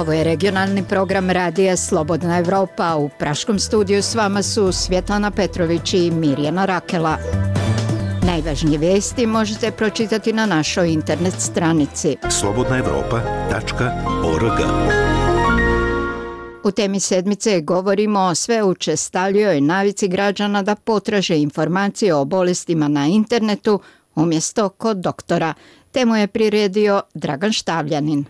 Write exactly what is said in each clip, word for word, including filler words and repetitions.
Ovo je regionalni program radija Slobodna Evropa. U praškom studiju s vama su Svjetlana Petrović i Mirjana Rakela. Najvažnije vijesti možete pročitati na našoj internet stranici slobodna evropa tačka org. U temi sedmice govorimo o sve učestalijoj navici građana da potraže informacije o bolestima na internetu umjesto kod doktora. Temu je priredio Dragan Štavljanin.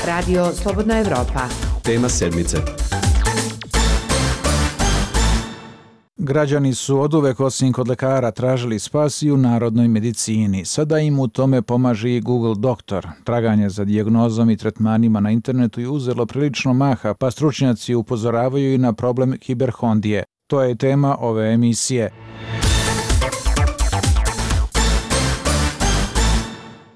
Radio Slobodna Evropa. Tema sedmice. Građani su oduvek osim kod lekara tražili spas i u narodnoj medicini. Sada im u tome pomaže i Google Doktor. Traganje za dijagnozom i tretmanima na internetu je uzelo prilično maha, pa stručnjaci upozoravaju i na problem hiperhondije. To je tema ove emisije.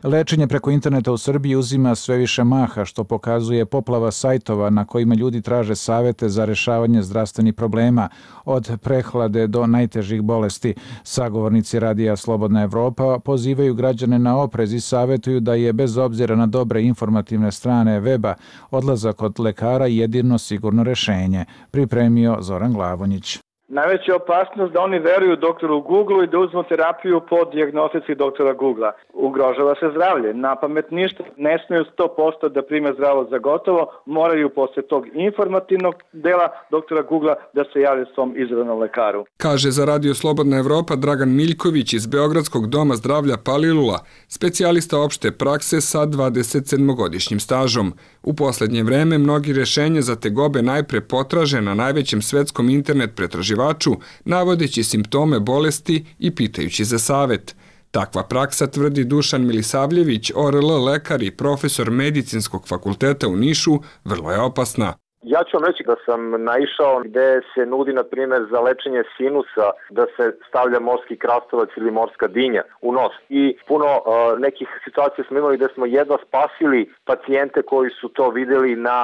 Lečenje preko interneta u Srbiji uzima sve više maha, što pokazuje poplava sajtova na kojima ljudi traže savete za rešavanje zdravstvenih problema, od prehlade do najtežih bolesti. Sagovornici radija Slobodna Evropa pozivaju građane na oprez i savetuju da je, bez obzira na dobre informativne strane weba, odlazak kod lekara jedino sigurno rešenje, pripremio Zoran Glavonjić. Najveća opasnost da oni veruju doktoru Google i da uzmu terapiju po dijagnostici doktora Googlea. Ugrožava se zdravlje. Na pamet ništa. Ne smiju sto posto da prime zdravo za gotovo. Moraju posle tog informativnog dela doktora Googlea da se jave svom izabranom lekaru. Kaže za Radio Slobodna Evropa Dragan Miljković iz Beogradskog doma zdravlja Palilula, specijalista opšte prakse sa dvadesetsedmogodišnjim stažom. U poslednje vreme mnogi rešenja za tegobe najpre potraže na najvećem svetskom internet pretraživaču, navodeći simptome bolesti i pitajući za savet. Takva praksa, tvrdi Dušan Milisavljević, O R L lekar i profesor medicinskog fakulteta u Nišu, vrlo je opasna. Ja ću vam reći da sam naišao gde se nudi, na primjer, za lečenje sinusa da se stavlja morski krastavac ili morska dinja u nos. I puno uh, nekih situacija smo imali gde smo jedva spasili pacijente koji su to videli na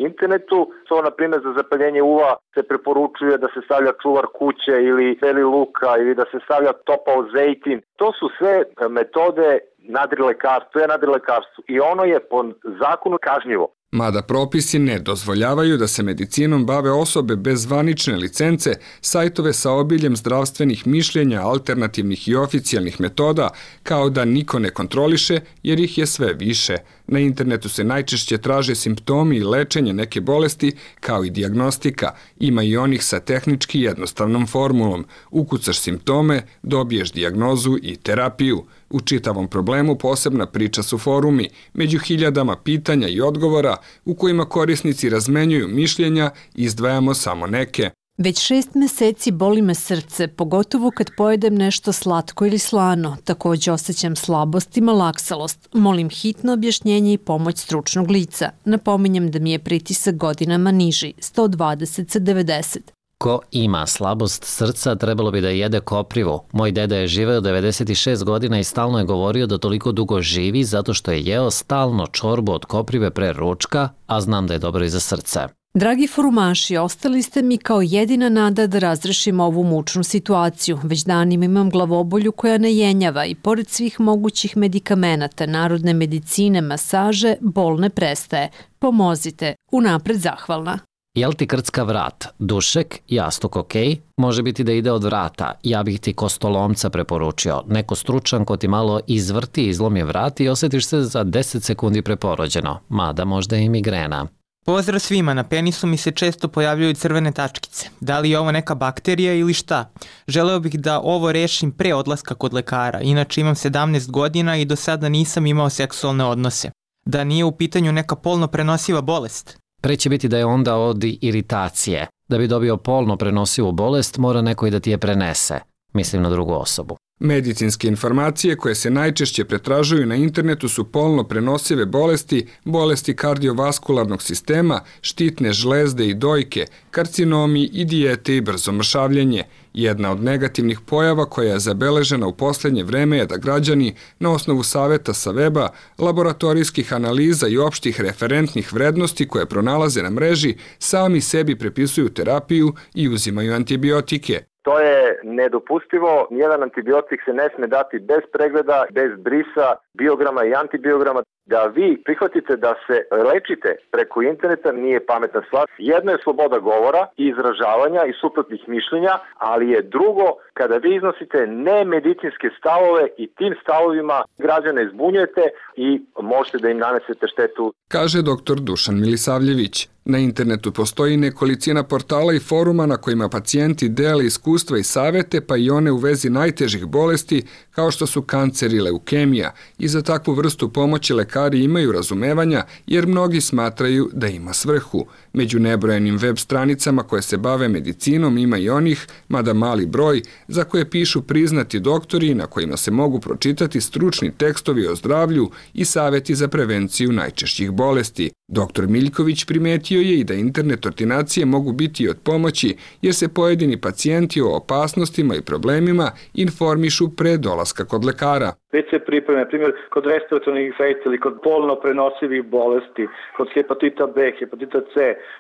internetu. To, na primjer, za zapaljenje uva se preporučuje da se stavlja čuvar kuće ili beli luka ili da se stavlja topao zejtin. To su sve metode nadrilekarstva, to je nadrilekarstvo i ono je po zakonu kažnjivo. Mada propisi ne dozvoljavaju da se medicinom bave osobe bez zvanične licence, sajtove sa obiljem zdravstvenih mišljenja, alternativnih i oficijalnih metoda, kao da niko ne kontroliše jer ih je sve više. Na internetu se najčešće traže simptomi i lečenje neke bolesti, kao i dijagnostika. Ima i onih sa tehnički jednostavnom formulom. Ukucaš simptome, dobiješ dijagnozu i terapiju. U čitavom problemu posebna priča su forumi, među hiljadama pitanja i odgovora u kojima korisnici razmenjuju mišljenja, izdvajamo samo neke. Već šest meseci boli me srce, pogotovo kad pojedem nešto slatko ili slano. Također osjećam slabost i malaksalost. Molim hitno objašnjenje i pomoć stručnog lica. Napominjem da mi je pritisak godinama niži, sto dvadeset sa devedeset. Ko ima slabost srca, trebalo bi da jede koprivu. Moj deda je živeo devedeset šest godina i stalno je govorio da toliko dugo živi zato što je jeo stalno čorbu od koprive pre ručka, a znam da je dobro i za srce. Dragi forumaši, ostali ste mi kao jedina nada da razrešimo ovu mučnu situaciju. Već danima imam glavobolju koja ne jenjava i pored svih mogućih medikamenata, narodne medicine, masaže, bol ne prestaje. Pomozite, unapred zahvalna. Jel ti krcka vrat? Dušek, jastuk ok, može biti da ide od vrata. Ja bih ti kostolomca preporučio. Neko stručan ko ti malo izvrti, izlomi vrat i osjetiš se za deset sekundi preporođeno. Mada možda i migrena. Pozdrav svima, na penisu mi se često pojavljaju crvene tačkice. Da li je ovo neka bakterija ili šta? Želeo bih da ovo rešim pre odlaska kod lekara, inače imam sedamnaest godina i do sada nisam imao seksualne odnose. Da nije u pitanju neka polno prenosiva bolest? Pre će biti da je onda od iritacije. Da bi dobio polno prenosivu bolest, mora neko i da ti je prenese. Mislim na drugu osobu. Medicinske informacije koje se najčešće pretražuju na internetu su polno prenosive bolesti, bolesti kardiovaskularnog sistema, štitne žlezde i dojke, karcinomi i dijete i brzo mršavljenje. Jedna od negativnih pojava koja je zabeležena u posljednje vreme je da građani na osnovu saveta sa weba, laboratorijskih analiza i opštih referentnih vrednosti koje pronalaze na mreži sami sebi prepisuju terapiju i uzimaju antibiotike. To je nedopustivo. Nijedan antibiotik se ne sme dati bez pregleda, bez brisa, biograma i antibiograma. Da vi prihvatite da se lečite preko interneta nije pametna stvar. Jedno je sloboda govora i izražavanja i suprotnih mišljenja, ali je drugo kada vi iznosite nemedicinske stavove i tim stavovima građane zbunjujete i možete da im nanesete štetu. Kaže doktor Dušan Milisavljević. Na internetu postoji nekolicina portala i foruma na kojima pacijenti dele iskustva i savete, pa i one u vezi najtežih bolesti kao što su kancer i leukemija. I za takvu vrstu pomoći lekari imaju razumevanja jer mnogi smatraju da ima svrhu. Među nebrojenim web stranicama koje se bave medicinom ima i onih, mada mali broj, za koje pišu priznati doktori na kojima se mogu pročitati stručni tekstovi o zdravlju i saveti za prevenciju najčešćih bolesti. Doktor Miljković primetio je i da internet ordinacije mogu biti od pomoći jer se pojedini pacijenti o opasnostima i problemima informišu pre dolaska kod lekara. Već se pripreme, na primjer, kod respiratornih infekcija ili kod polno prenosivih bolesti, kod hepatita B, hepatita C,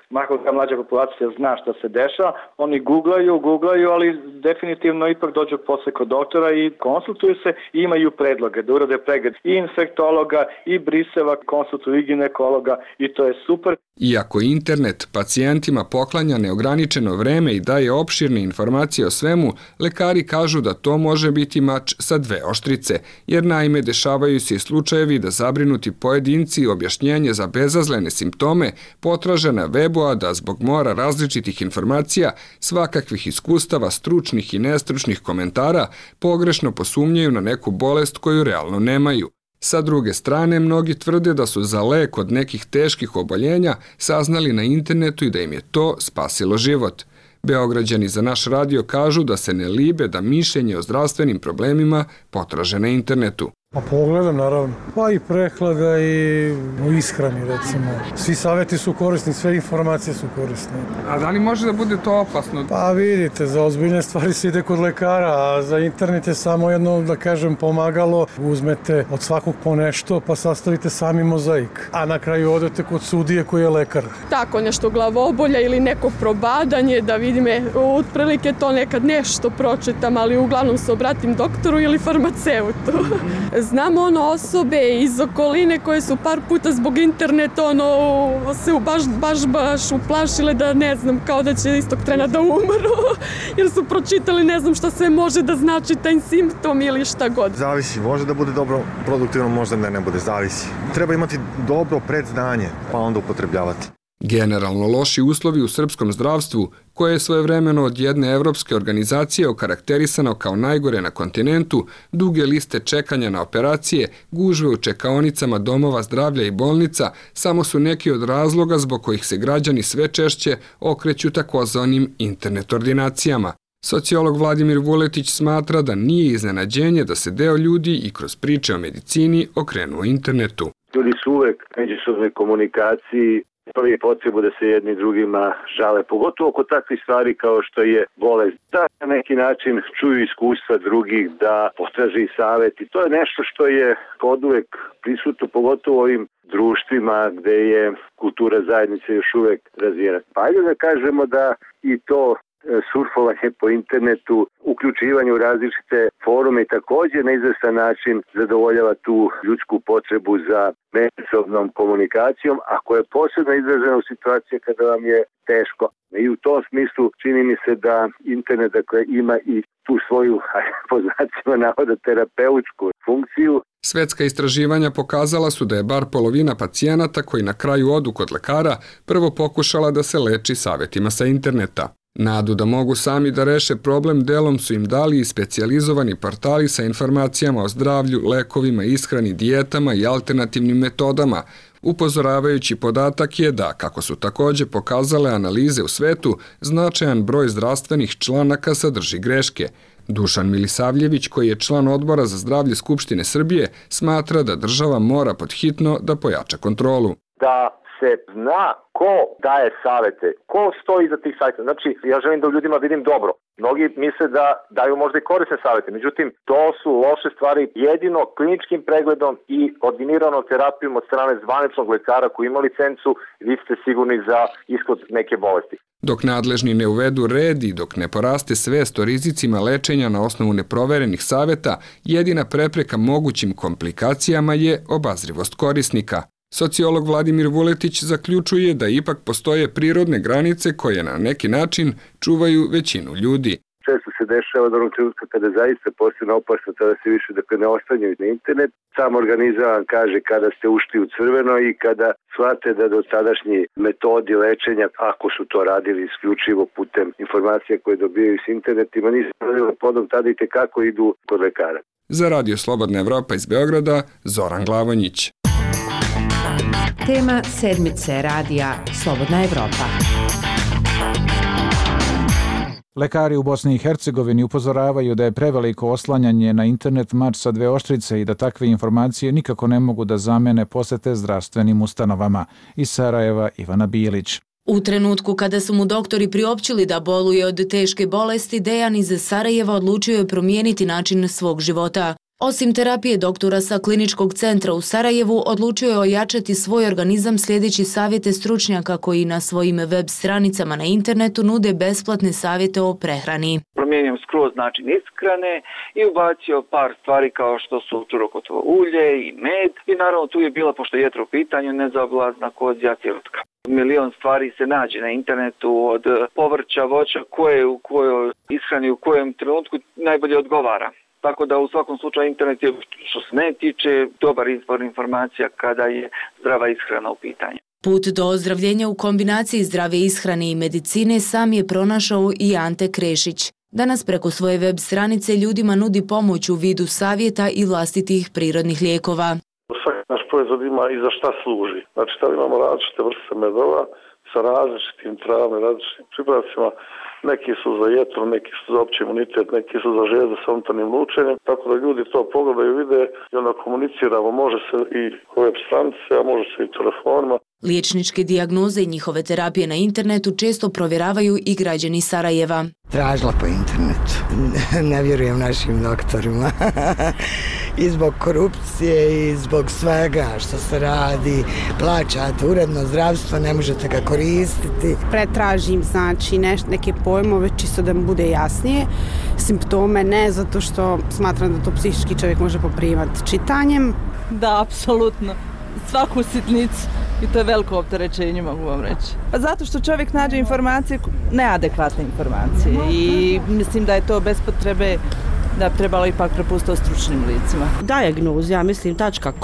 makar ta mlađa populacija zna šta se dešava, oni googlaju, googlaju, ali definitivno ipak dođu posle kod doktora i konsultuju se i imaju predloge da urade pregled i infektologa i briseva, konsultuju i ginekologa i to je super. Iako internet pacijentima poklanja neograničeno vreme i daje opširne informacije o svemu, lekari kažu da to može biti mač sa dve oštrice, jer naime dešavaju se i slučajevi da zabrinuti pojedinci objašnjenje za bezazlene simptome potraže na webu, a da zbog mora različitih informacija, svakakvih iskustava, stručnih i nestručnih komentara, pogrešno posumnjaju na neku bolest koju realno nemaju. Sa druge strane, mnogi tvrde da su za lek od nekih teških oboljenja saznali na internetu i da im je to spasilo život. Beograđani za naš radio kažu da se ne libe da mišljenje o zdravstvenim problemima potraže na internetu. Pa pogledam, naravno. Pa i prehlada i u ishrani, recimo. Svi savjeti su korisni, sve informacije su korisne. A da li može da bude to opasno? Pa vidite, za ozbiljne stvari se ide kod lekara, a za internet je samo jedno, da kažem, pomagalo. Uzmete od svakog po nešto, pa sastavite sami mozaik. A na kraju odete kod sudije koji je lekar. Tako nešto glavobolja ili neko probadanje, da vidim, otprilike to nekad nešto pročitam, ali uglavnom se obratim doktoru ili farmaceutu. Znam ono osobe iz okoline koje su par puta zbog interneta ono se baš, baš, baš uplašile da ne znam, kao da će istog trena da umru, jer su pročitali ne znam šta sve može da znači taj simptom ili šta god. Zavisi, može da bude dobro produktivno, možda ne, ne bude, zavisi. Treba imati dobro predznanje, pa onda upotrebljavati. Generalno loši uslovi u srpskom zdravstvu, koje je svojevremeno od jedne evropske organizacije okarakterisano kao najgore na kontinentu, duge liste čekanja na operacije, gužve u čekaonicama domova zdravlja i bolnica, samo su neki od razloga zbog kojih se građani sve češće okreću takozvanim internet ordinacijama. Sociolog Vladimir Vuletić smatra da nije iznenađenje da se deo ljudi i kroz priče o medicini okrenuo internetu. Ljudi su uvek međusobnoj komunikaciji, prvi potrebu da se jedni drugima žale, pogotovo oko takvih stvari kao što je bolest. Da na neki način čuju iskustva drugih, da potraže i savjet i to je nešto što je od uvek prisutno, pogotovo u ovim društvima gde je kultura zajednice još uvek razvijena. Pa ajde da kažemo da i to surfovanje po internetu, uključivanje u različite forume i također na izvestan način zadovoljava tu ljudsku potrebu za međusobnom komunikacijom, a koja je posebno izražena u situaciji kada vam je teško. I u tom smislu čini mi se da internet dakle, ima i tu svoju, po znacima navoda, terapeutsku funkciju. Svetska istraživanja pokazala su da je bar polovina pacijenata koji na kraju odu kod lekara prvo pokušala da se leči savjetima sa interneta. Nadu da mogu sami da reše problem delom su im dali i specijalizovani portali sa informacijama o zdravlju, lekovima, ishrani, dijetama i alternativnim metodama. Upozoravajući podatak je da, kako su također pokazale analize u svetu, značajan broj zdravstvenih članaka sadrži greške. Dušan Milisavljević, koji je član odbora za zdravlje Skupštine Srbije, smatra da država mora podhitno da pojača kontrolu. Da se zna ko daje savete, ko stoji iza tih sajta. Znači, ja želim da u ljudima vidim dobro. Mnogi misle da daju možda i korisne savete, međutim, to su loše stvari. Jedino kliničkim pregledom i ordiniranom terapijom od strane zvaničnog lekara koji ima licencu, vi ste sigurni za ishod neke bolesti. Dok nadležni ne uvedu red i dok ne poraste svest o rizicima lečenja na osnovu neproverenih saveta, jedina prepreka mogućim komplikacijama je obazrivost korisnika. Sociolog Vladimir Vuletić zaključuje da ipak postoje prirodne granice koje na neki način čuvaju većinu ljudi. Često se dešava da onog trenutka kada zaista postane opasno, tada se više dakle, ne ostanjaju na internet. Sam organizam vam kaže kada ste ušli u crveno i kada shvate da do tadašnji metodi lečenja, ako su to radili isključivo putem informacija koje dobijaju s internetima, nisu radili podom, tada i tekako idu kod lekara. Za Radio Slobodna Evropa iz Beograda, Zoran Glavonjić. Tema sedmice radija Slobodna Evropa. Lekari u Bosni i Hercegovini upozoravaju da je preveliko oslanjanje na internet mač sa dve oštrice i da takve informacije nikako ne mogu da zamene posete zdravstvenim ustanovama. Iz Sarajeva Ivana Bilić. U trenutku kada su mu doktori priopćili da boluje od teške bolesti, Dejan iz Sarajeva odlučio je promijeniti način svog života. Osim terapije, doktora sa kliničkog centra u Sarajevu odlučio je ojačati svoj organizam slijedeći savjete stručnjaka koji na svojim web stranicama na internetu nude besplatne savjete o prehrani. Promijenio skroz način ishrane i ubacio par stvari kao što su čurokotovo ulje i med. I naravno tu je bila, pošto je jetra u pitanju, nezaobilazna kozja cjelutka. Milion stvari se nađe na internetu od povrća, voća koje u kojoj ishrani u kojem trenutku najbolje odgovara. Tako da u svakom slučaju internet je, što se ne tiče, dobar izbor informacija kada je zdrava ishrana u pitanju. Put do ozdravljenja u kombinaciji zdrave ishrane i medicine sam je pronašao i Ante Krešić. Danas preko svoje web stranice ljudima nudi pomoć u vidu savjeta i vlastitih prirodnih lijekova. Svaki naš proizvod ima i za šta služi. Znači, da imamo različite vrste medova sa različitim travama, različitim pripravcima. Neki su za jetru, neki su za opći imunitet, neki su za žlijezde sa unutarnjim lučenjem. Tako da ljudi to pogledaju, vide i onda komuniciramo. Može se i web stranice, a može se i telefonima. Liječničke dijagnoze i njihove terapije na internetu često provjeravaju i građani Sarajeva. Tražila po internetu. Ne vjerujem našim doktorima. I zbog korupcije i zbog svega što se radi. Plaćate uredno zdravstvo, ne možete ga koristiti. Pretražim znači neš, neke pojmove čisto da mi bude jasnije. Simptome ne, zato što smatram da to psihički čovjek može poprimati čitanjem. Da, apsolutno. Svaku sitnicu. I to je veliko opterećenje, mogu vam reći. Pa zato što čovjek nađe informacije, neadekvatne informacije i mislim da je to bez potrebe da bi trebalo ipak prepustiti stručnim licima. Diagnoz, ja mislim,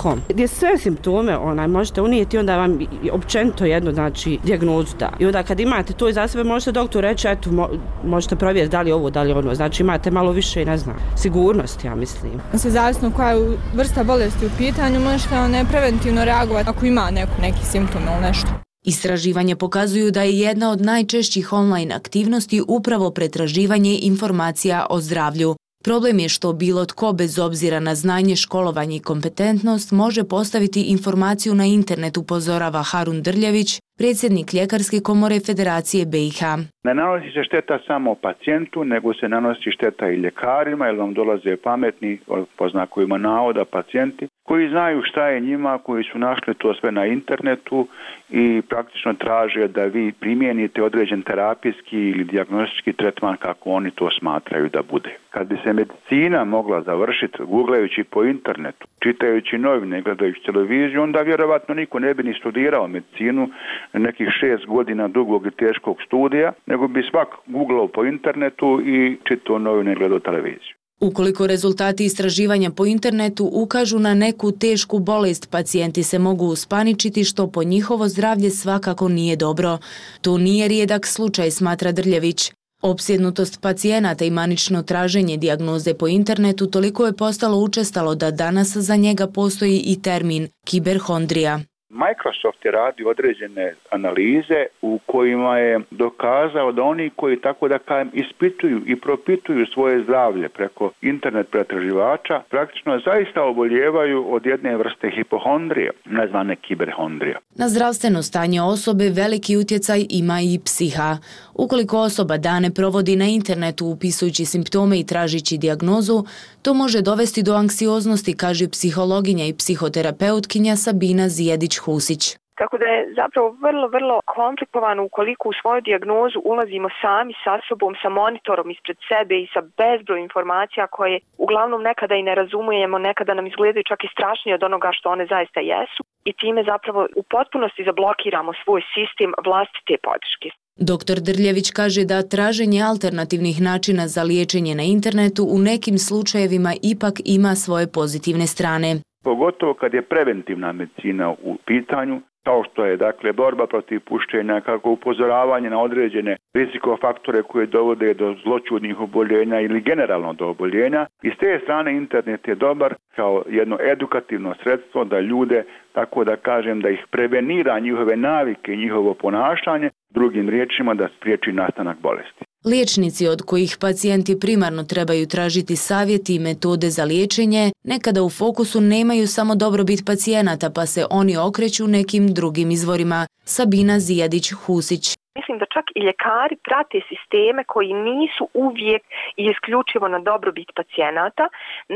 .com, gdje sve simptome onaj, možete unijeti, onda vam općenito jedno, znači, dijagnozu da. I onda kad imate to iza sebe, možete doktor reći, eto, mo, možete provjeriti da li ovo, da li ono, znači imate malo više, ne znam, sigurnosti, ja mislim. Se zavisno koja je vrsta bolesti u pitanju, možete ne preventivno reagovati ako ima neku, neki simptom ili nešto. Istraživanja pokazuju da je jedna od najčešćih online aktivnosti upravo pretraživanje informacija o zdravlju. Problem je što bilo tko bez obzira na znanje, školovanje i kompetentnost može postaviti informaciju na internet, upozorava Harun Drljević, predsjednik Ljekarske komore Federacije B i H. Ne nanosi se šteta samo pacijentu, nego se nanosi šteta i ljekarima, jer vam dolaze pametni, po znakovima navoda, pacijenti, koji znaju šta je njima, koji su našli to sve na internetu i praktično traže da vi primijenite određen terapijski ili dijagnostički tretman kako oni to smatraju da bude. Kad bi se medicina mogla završiti googlajući po internetu, čitajući novine, gledajući televiziju, onda vjerovatno niko ne bi ni studirao medicinu nekih šest godina dugog i teškog studija, nego bi svak googlao po internetu i čitao novine i gledao televiziju. Ukoliko rezultati istraživanja po internetu ukažu na neku tešku bolest, pacijenti se mogu uspaničiti, što po njihovo zdravlje svakako nije dobro. To nije rijedak slučaj, smatra Drljević. Opsjednutost pacijenata i manično traženje dijagnoze po internetu toliko je postalo učestalo da danas za njega postoji i termin kiberhondrija. Microsoft je radio određene analize u kojima je dokazao da oni koji tako da kažem ispituju i propituju svoje zdravlje preko internet pretraživača praktično zaista oboljevaju od jedne vrste hipohondrije, nazvane kiberhondrija. Na zdravstveno stanje osobe veliki utjecaj ima i psiha. Ukoliko osoba dane provodi na internetu upisujući simptome i tražići dijagnozu, to može dovesti do anksioznosti, kaže psihologinja i psihoterapeutkinja Sabina Zijedić-Husić. Tako da je zapravo vrlo, vrlo komplikovano ukoliko u svoju dijagnozu ulazimo sami sa sobom, sa monitorom ispred sebe i sa bezbroj informacija koje uglavnom nekada i ne razumijemo, nekada nam izgledaju čak i strašnije od onoga što one zaista jesu i time zapravo u potpunosti zablokiramo svoj sistem vlastite podrške. Doktor Drljević kaže da traženje alternativnih načina za liječenje na internetu u nekim slučajevima ipak ima svoje pozitivne strane. Pogotovo kad je preventivna medicina u pitanju, kao što je dakle borba protiv pušenja, kako upozoravanje na određene rizikofaktore koje dovode do zloćudnih oboljenja ili generalno do oboljenja. I s te strane internet je dobar kao jedno edukativno sredstvo da ljude, tako da kažem, da ih prevenira njihove navike i njihovo ponašanje, drugim riječima da spriječi nastanak bolesti. Liječnici od kojih pacijenti primarno trebaju tražiti savjeti i metode za liječenje, nekada u fokusu nemaju samo dobrobit pacijenata pa se oni okreću nekim drugim izvorima. Sabina Zijedić-Husić. Mislim da čak i ljekari prate sisteme koji nisu uvijek i isključivo na dobrobit pacijenata.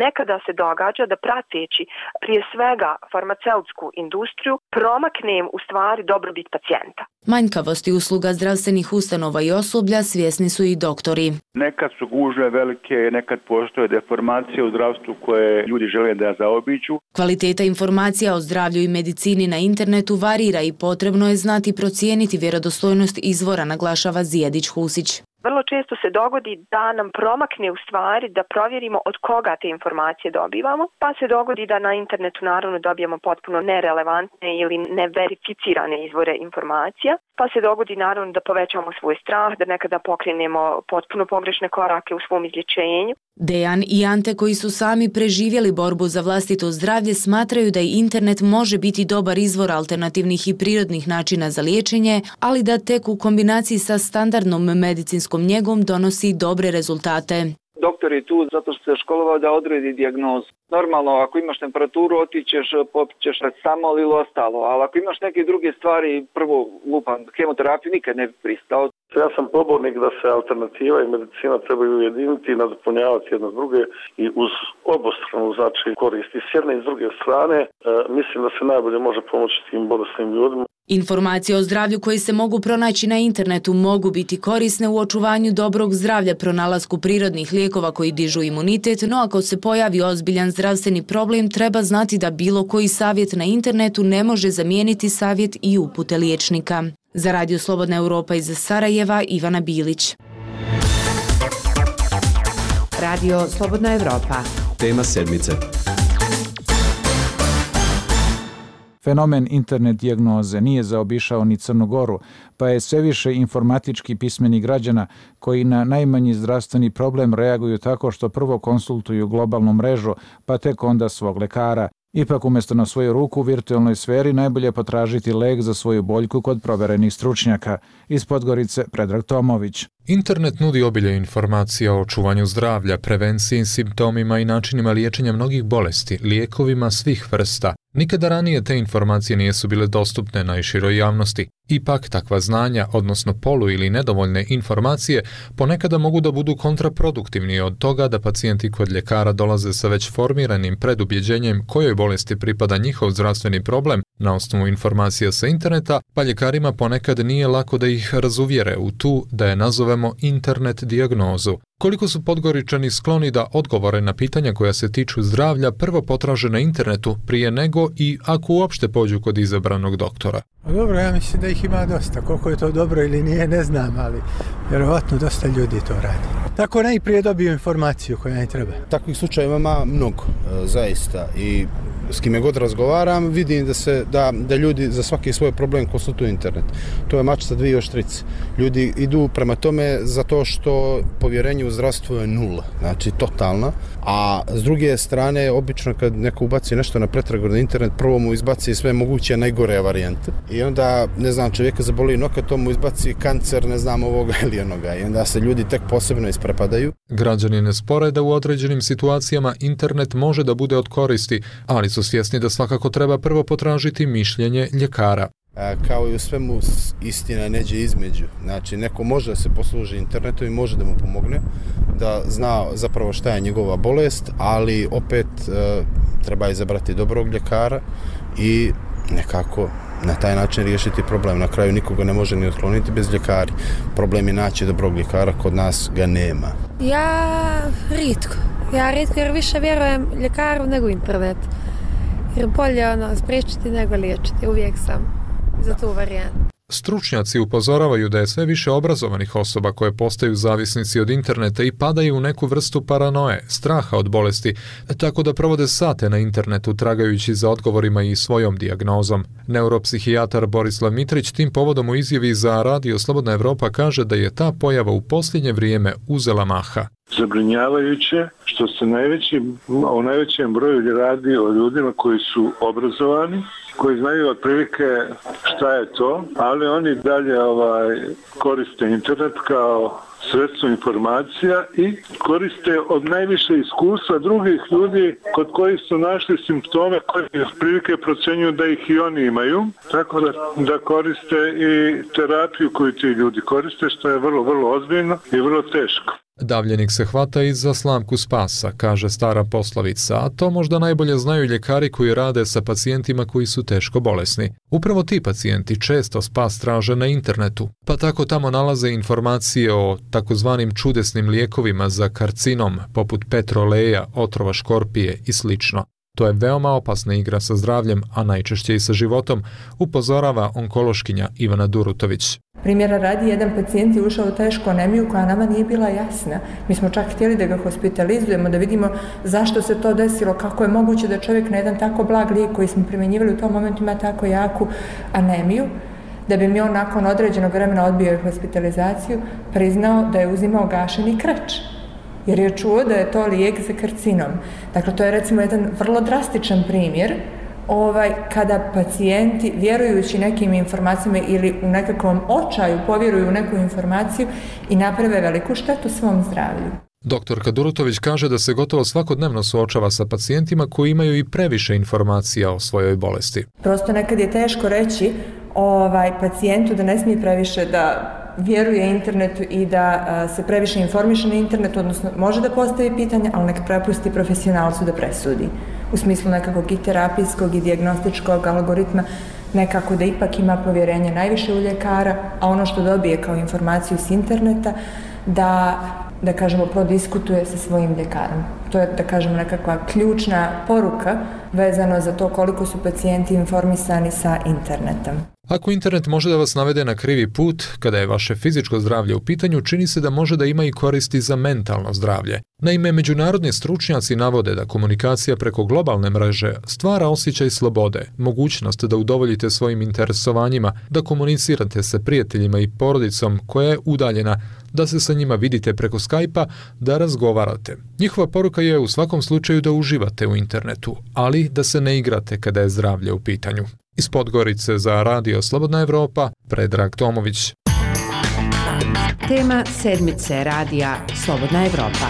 Nekada se događa da prateći prije svega farmaceutsku industriju promaknem u stvari dobrobit pacijenta. Manjkavosti usluga zdravstvenih ustanova i osoblja svjesni su i doktori. Nekad su gužve velike, nekad postoje deformacije u zdravstvu koje ljudi žele da zaobiđu. Kvaliteta informacija o zdravlju i medicini na internetu varira i potrebno je znati procijeniti vjerodostojnost izvora, naglašava Zijedić-Husić. Vrlo često se dogodi da nam promakne u stvari da provjerimo od koga te informacije dobivamo, pa se dogodi da na internetu naravno dobijemo potpuno nerelevantne ili neverificirane izvore informacija, pa se dogodi naravno da povećamo svoj strah, da nekada pokrenemo potpuno pogrešne korake u svom izlječenju. Dejan i Ante, koji su sami preživjeli borbu za vlastito zdravlje, smatraju da i internet može biti dobar izvor alternativnih i prirodnih načina za liječenje, ali da tek u kombinaciji sa standardnom medicinskom njegom donosi dobre rezultate. Doktor je tu zato što se školovao da odredi dijagnozu. Normalno, ako imaš temperaturu, otićeš, popićeš retamol ili ostalo, ali ako imaš neke druge stvari, prvo lupam, hemoterapiju nikad ne bi pristao. Ja sam pobornik da se alternativa i medicina trebaju ujediniti i nadopunjavati jedno druge i uz obostranu znači koristi s jedne i s druge strane. E, mislim da se najbolje može pomoći tim bolesnim ljudima. Informacije o zdravlju koje se mogu pronaći na internetu mogu biti korisne u očuvanju dobrog zdravlja, pronalasku prirodnih lijekova koji dižu imunitet, no ako se pojavi ozbiljan zdravstveni problem, treba znati da bilo koji savjet na internetu ne može zamijeniti savjet i upute liječnika. Za Radio Slobodna Europa iz Sarajeva, Ivana Bilić. Radio Slobodna Europa. Tema sedmice. Fenomen internet dijagnoze nije zaobišao ni Crnu Goru, pa je sve više informatički pismeni građana koji na najmanji zdravstveni problem reaguju tako što prvo konsultuju globalnu mrežu, pa tek onda svog lekara. Ipak umjesto na svoju ruku u virtualnoj sferi najbolje potražiti lek za svoju boljku kod proverenih stručnjaka. Iz Podgorice Predrag Tomović. Internet nudi obilje informacija o očuvanju zdravlja, prevenciji, simptomima i načinima liječenja mnogih bolesti, lijekovima svih vrsta. Nikada ranije te informacije nisu bile dostupne najširoj javnosti. Ipak takva znanja, odnosno polu ili nedovoljne informacije, ponekada mogu da budu kontraproduktivni od toga da pacijenti kod ljekara dolaze sa već formiranim predubjeđenjem kojoj bolesti pripada njihov zdravstveni problem na osnovu informacija sa interneta, pa ljekarima ponekad nije lako da ih razuvjere u tu, da je nazovemo internet dijagnozu. Koliko su Podgoričani skloni da odgovore na pitanja koja se tiču zdravlja prvo potraže na internetu prije nego i ako uopšte pođu kod izabranog doktora? Dobro, ja mislim da ih ima dosta. Koliko je to dobro ili nije, ne znam, ali vjerovatno dosta ljudi to radi. Tako najprije dobiju informaciju koja ne treba. Takvih slučajeva ima mnogo, zaista. I s kime god razgovaram, vidim da se da, da ljudi za svaki svoj problem konsultuju internet. To je mač sa dvije oštrice. Ljudi idu prema tome zato što povjerenje u zdravstvo je nula, znači totalna, a s druge strane obično kad neko ubaci nešto na pretragu na internet, prvo mu izbaci sve moguće najgore varijante i onda, ne znam, čovjeka zaboli noka, to mu izbaci kancer, ne znam, ovoga ili onoga i onda se ljudi tek posebno isprepadaju. Građani ne spore da u određenim situacijama internet može da bude od koristi, ali su svjesni da svakako treba prvo potražiti mišljenje ljekara. Kao i u svemu, istina neđe između. Znači, neko može da se posluži internetom i može da mu pomogne, da zna zapravo šta je njegova bolest, ali opet e, treba izabrati dobrog ljekara i nekako na taj način riješiti problem. Na kraju nikoga ne može ni otkloniti bez ljekari. Problem je naći dobrog ljekara, kod nas ga nema. Ja ritko. Ja ritko jer više vjerujem ljekaru nego internet. Jer bolje ono, spriječiti nego liječiti. Uvijek sam za tu varijantu. Stručnjaci upozoravaju da je sve više obrazovanih osoba koje postaju zavisnici od interneta i padaju u neku vrstu paranoje, straha od bolesti, tako da provode sate na internetu tragajući za odgovorima i svojom dijagnozom. Neuropsihijatar Borislav Mitrić tim povodom u izjavi za Radio Slobodna Evropa kaže da je ta pojava u posljednje vrijeme uzela maha. Zabrinjavajuće što se najveći, o najvećem broju radi o ljudima koji su obrazovani, koji znaju otprilike šta je to, ali oni dalje ovaj, koriste internet kao sredstvo informacija i koriste od najviše iskustva drugih ljudi kod kojih su našli simptome koji otprilike procenjuju da ih i oni imaju, tako da, da koriste i terapiju koju ti ljudi koriste, što je vrlo, vrlo ozbiljno i vrlo teško. Davljenik se hvata i za slamku spasa, kaže stara poslovica, a to možda najbolje znaju ljekari koji rade sa pacijentima koji su teško bolesni. Upravo ti pacijenti često spas traže na internetu, pa tako tamo nalaze informacije o takozvanim čudesnim lijekovima za karcinom, poput petroleja, otrova škorpije i slično. To je veoma opasna igra sa zdravljem, a najčešće i sa životom, upozorava onkološkinja Ivana Durutović. Primjera radi, jedan pacijent je ušao u tešku anemiju koja nama nije bila jasna. Mi smo čak htjeli da ga hospitalizujemo, da vidimo zašto se to desilo, kako je moguće da čovjek na jedan tako blag lijek koji smo primjenjivali u tom momentu ima tako jaku anemiju, da bi mi on nakon određenog vremena odbio hospitalizaciju, priznao da je uzimao gašeni krč, jer je čuo da je to lijek za karcinom. Dakle, to je recimo jedan vrlo drastičan primjer ovaj, kada pacijenti, vjerujući nekim informacijama ili u nekakvom očaju, povjeruju u neku informaciju i naprave veliku štetu svom zdravlju. Doktorka Durutović kaže da se gotovo svakodnevno suočava sa pacijentima koji imaju i previše informacija o svojoj bolesti. Prosto nekad je teško reći ovaj, pacijentu da ne smije previše da vjeruje internetu i da a, se previše informiše na internetu, odnosno može da postavi pitanja, ali nek prepusti profesionalcu da presudi. U smislu nekakvog i terapijskog i dijagnostičkog algoritma, nekako da ipak ima povjerenje najviše u ljekara, a ono što dobije kao informaciju s interneta, da, da kažemo, prodiskutuje sa svojim ljekarom. To je, da kažemo, nekakva ključna poruka vezano za to koliko su pacijenti informisani sa internetom. Ako internet može da vas navede na krivi put, kada je vaše fizičko zdravlje u pitanju, čini se da može da ima i koristi za mentalno zdravlje. Naime, međunarodni stručnjaci navode da komunikacija preko globalne mreže stvara osjećaj slobode, mogućnost da udovoljite svojim interesovanjima, da komunicirate sa prijateljima i porodicom koja je udaljena, da se sa njima vidite preko Skype-a, da razgovarate. Njihova poruka je u svakom slučaju da uživate u internetu, ali da se ne igrate kada je zdravlje u pitanju. Iz Podgorice za Radio Slobodna Evropa, Predrag Tomović. Tema sedmice Radija Slobodna Evropa.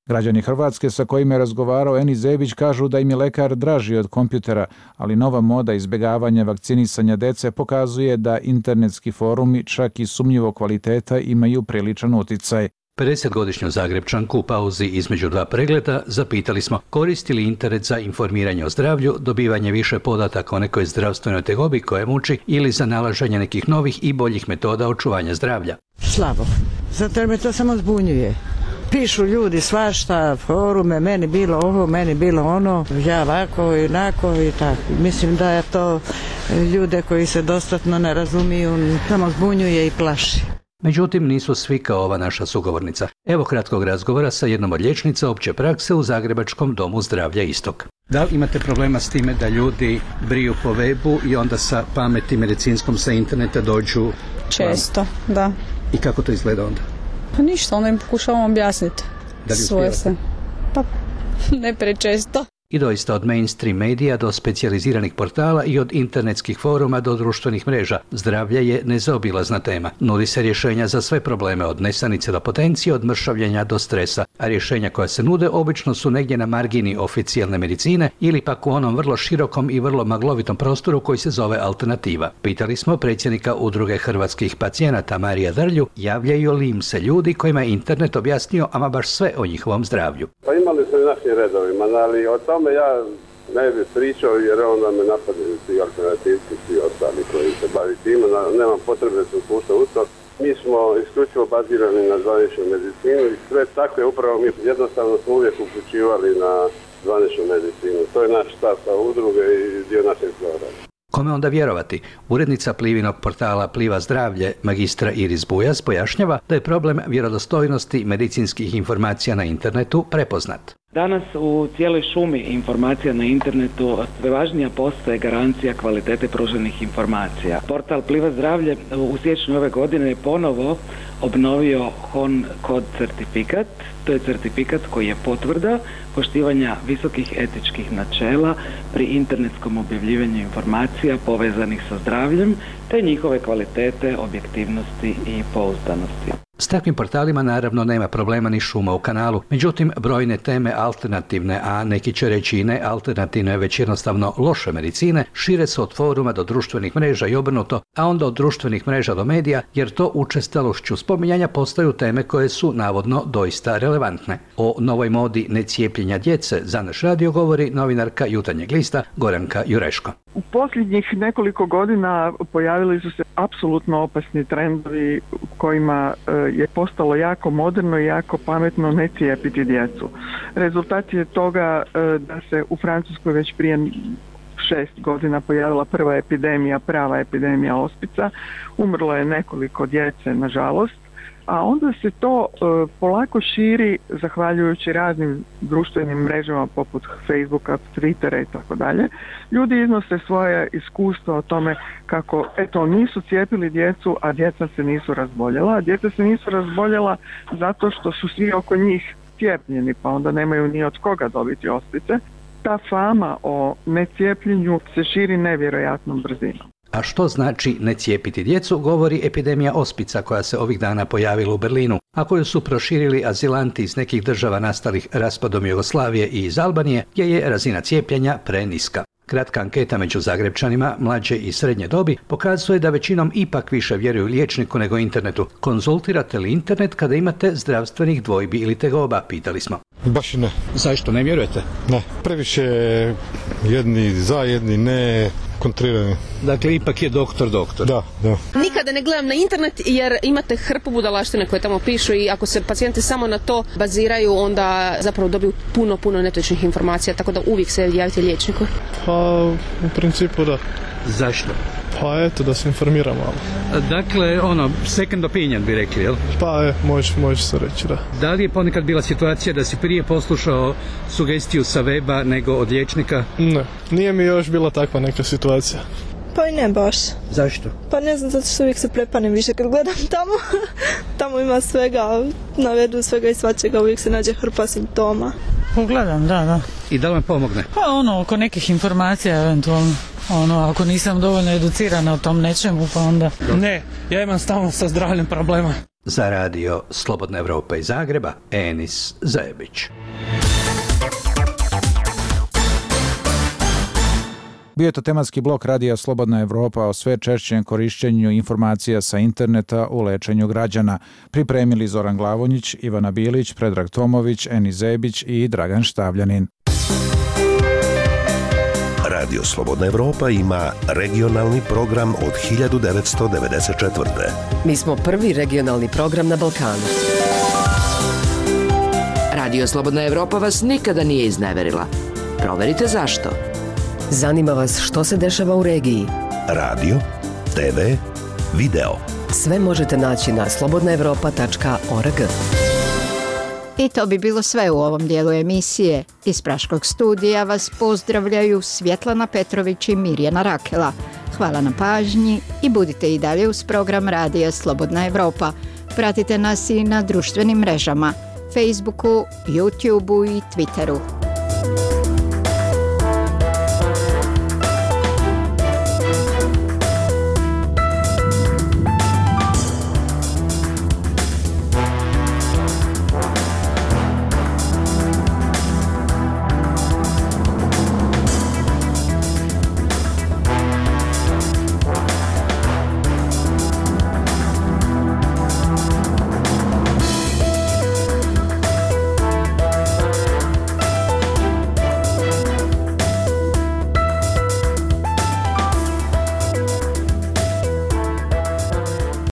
Građani Hrvatske sa kojima je razgovarao Eni Zebić kažu da im je lekar draži od kompjutera, ali nova moda izbjegavanja vakcinisanja dece pokazuje da internetski forumi, čak i sumnjivo kvaliteta, imaju priličan uticaj. pedesetgodišnju Zagrebčanku u pauzi između dva pregleda zapitali smo koristi li internet za informiranje o zdravlju, dobivanje više podataka o nekoj zdravstvenoj tegobi koje muči ili za nalaženje nekih novih i boljih metoda očuvanja zdravlja. Slabo, zato jer me to samo zbunjuje. Pišu ljudi svašta, forume, meni bilo ovo, meni bilo ono, ja ovako i onako i tako. Mislim da je to ljude koji se dostatno ne razumiju, samo zbunjuje i plaši. Međutim, nisu svi kao ova naša sugovornica. Evo kratkog razgovora sa jednom od liječnica opće prakse u Zagrebačkom domu zdravlja Istok. Da li imate problema s time da ljudi briju po webu i onda sa pameti medicinskom sa interneta dođu? Često, da. I kako to izgleda onda? Pa ništa, onda im pokušavam objasniti. Da li svoje se. Pa ne prečesto. I doista od mainstream medija do specijaliziranih portala i od internetskih foruma do društvenih mreža, zdravlje je nezaobilazna tema. Nudi se rješenja za sve probleme, od nesanice do potencije, od mršavljenja do stresa, a rješenja koja se nude obično su negdje na margini oficijalne medicine ili pak u onom vrlo širokom i vrlo maglovitom prostoru koji se zove alternativa. Pitali smo predsjednika Udruge hrvatskih pacijenata Marija Drlju, javljaju li im se ljudi kojima je internet objasnio ama baš sve o njihovom zdravlju. Pa imali su i našim redovima, ali o tome ja ne bih pričao jer onda me napadaju svi alternativci, svi ostali koji se bavi time, nemam potrebe da se upušta u to. Mi smo isključivo bazirani na zvaničnu medicinu i sve tako je upravo mi jednostavno smo uvijek uključivali na zvaničnu medicinu. To je naš stav kao udruge i dio našeg programa. Kome onda vjerovati? Urednica Plivinog portala Pliva zdravlje, magistra Iris Bujas, pojašnjava da je problem vjerodostojnosti medicinskih informacija na internetu prepoznat. Danas u cijeloj šumi informacija na internetu sve važnija postaje garancija kvalitete pruženih informacija. Portal Pliva zdravlje u siječnju ove godine je ponovo obnovio H O N kod certifikat. To je certifikat koji je potvrda poštivanja visokih etičkih načela pri internetskom objavljivanju informacija povezanih sa zdravljem te njihove kvalitete, objektivnosti i pouzdanosti. S takvim portalima naravno nema problema ni šuma u kanalu, međutim brojne teme alternativne, a neki će reći i ne alternativne, već jednostavno loše medicine, šire se od foruma do društvenih mreža i obrnuto, a onda od društvenih mreža do medija, jer to učestalošću spominjanja postaju teme koje su navodno doista relevantne. O novoj modi necijepljenja djece za naš radio govori novinarka Jutarnjeg lista Goranka Jureško. U posljednjih nekoliko godina pojavili su se apsolutno opasni trendovi kojima je postalo jako moderno i jako pametno ne cijepiti djecu. Rezultat je toga da se u Francuskoj već prije šest godina pojavila prva epidemija, prava epidemija ospica. Umrlo je nekoliko djece, nažalost. A onda se to e, polako širi zahvaljujući raznim društvenim mrežama poput Facebooka, Twittera i tako dalje. Ljudi iznose svoje iskustva o tome kako eto nisu cijepili djecu, a djeca se nisu razboljela. A djeca se nisu razboljela zato što su svi oko njih cijepljeni, pa onda nemaju ni od koga dobiti ospice. Ta fama o necijepljenju se širi nevjerojatnom brzinom. A što znači ne cijepiti djecu, govori epidemija ospica koja se ovih dana pojavila u Berlinu, a koju su proširili azilanti iz nekih država nastalih raspadom Jugoslavije i iz Albanije, gdje je razina cijepljenja preniska. Kratka anketa među Zagrebčanima mlađe i srednje dobi pokazuje da većinom ipak više vjeruju liječniku nego internetu. Konzultirate li internet kada imate zdravstvenih dvojbi ili tegoba, pitali smo. Baš i ne. Zašto ne vjerujete? Ne, previše jedni za, jedni ne, kontrirani. Dakle, ipak je doktor doktor. Da, da. Nikada ne gledam na internet jer imate hrpu budalaštine koje tamo pišu i ako se pacijenti samo na to baziraju, onda zapravo dobiju puno, puno netočnih informacija, tako da uvijek se javite liječniku. Pa, u principu da. Zašto? Pa eto, da se informiramo malo. Dakle, ono, second opinion bi rekli, jel? Pa je, možeš, možeš se reći, da. Da li je ponekad bila situacija da si prije poslušao sugestiju sa weba nego od liječnika? Ne, nije mi još bila takva neka situacija. Pa i ne baš. Zašto? Pa ne znam, zato što uvijek se prepanem više kad gledam tamo. Tamo ima svega, navedu svega i svačega, uvijek se nađe hrpa simptoma. Gledam, da, da. I da li vam pomogne? Pa ono, oko nekih informacija eventualno. Ono, ako nisam dovoljno educirana o tom nečemu, pa onda... Ne, ja imam stalno sa zdravljem problema. Za radio Slobodna Evropa iz Zagreba, Enis Zajebić. Bio je to tematski blok radija Slobodna Evropa o sve češćem korišćenju informacija sa interneta u lečenju građana. Pripremili Zoran Glavonjić, Ivana Bilić, Predrag Tomović, Enis Zebić i Dragan Štavljanin. Radio Slobodna Evropa ima regionalni program od hiljadu devetsto devedeset četvrte. Mi smo prvi regionalni program na Balkanu. Radio Slobodna Evropa vas nikada nije izneverila. Proverite zašto. Zanima vas što se dešava u regiji. Radio, te ve, video. Sve možete naći na slobodna evropa tačka org. I to bi bilo sve u ovom dijelu emisije. Iz Praškog studija vas pozdravljaju Svjetlana Petrović i Mirjana Rakela. Hvala na pažnji i budite i dalje uz program Radija Slobodna Evropa. Pratite nas i na društvenim mrežama, Facebooku, YouTubeu i Twitteru.